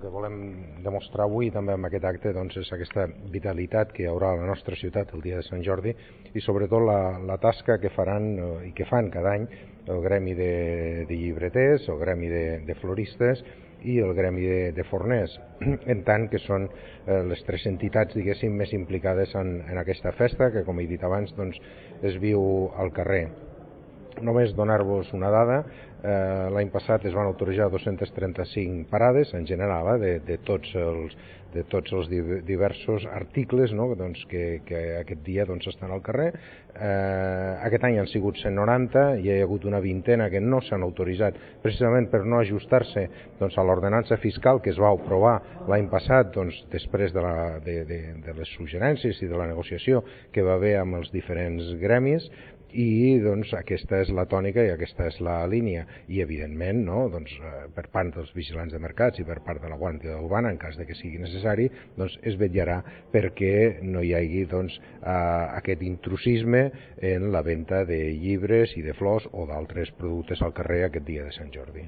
que volem demostrar avui també amb aquest acte doncs, és aquesta vitalitat que hi haurà a la nostra ciutat el dia de Sant Jordi i sobretot la tasca que faran i que fan cada any el gremi de llibreters, el gremi de floristes i el gremi de forners, en tant que són les tres entitats, diguéssim, més implicades en aquesta festa, que com he dit abans doncs, es viu al carrer. Només donar-vos una dada, l'any passat es van autoritzar 235 parades en general de tots els diversos articles, no? doncs, que aquest dia doncs, estan al carrer. Aquest any han sigut 190, hi ha hagut una vintena que no s'han autoritzat precisament per no ajustar-se doncs, a l'ordenança fiscal que es va aprovar l'any passat doncs, després de les suggerències i de la negociació que va haver amb els diferents gremis, i doncs aquesta és la tònica i aquesta és la línia i evidentment no, doncs, per part dels vigilants de mercats i per part de la Guàrdia Urbana en cas de que sigui necessari doncs, es vetllarà perquè no hi hagi doncs, aquest intrusisme en la venda de llibres i de flors o d'altres productes al carrer aquest dia de Sant Jordi.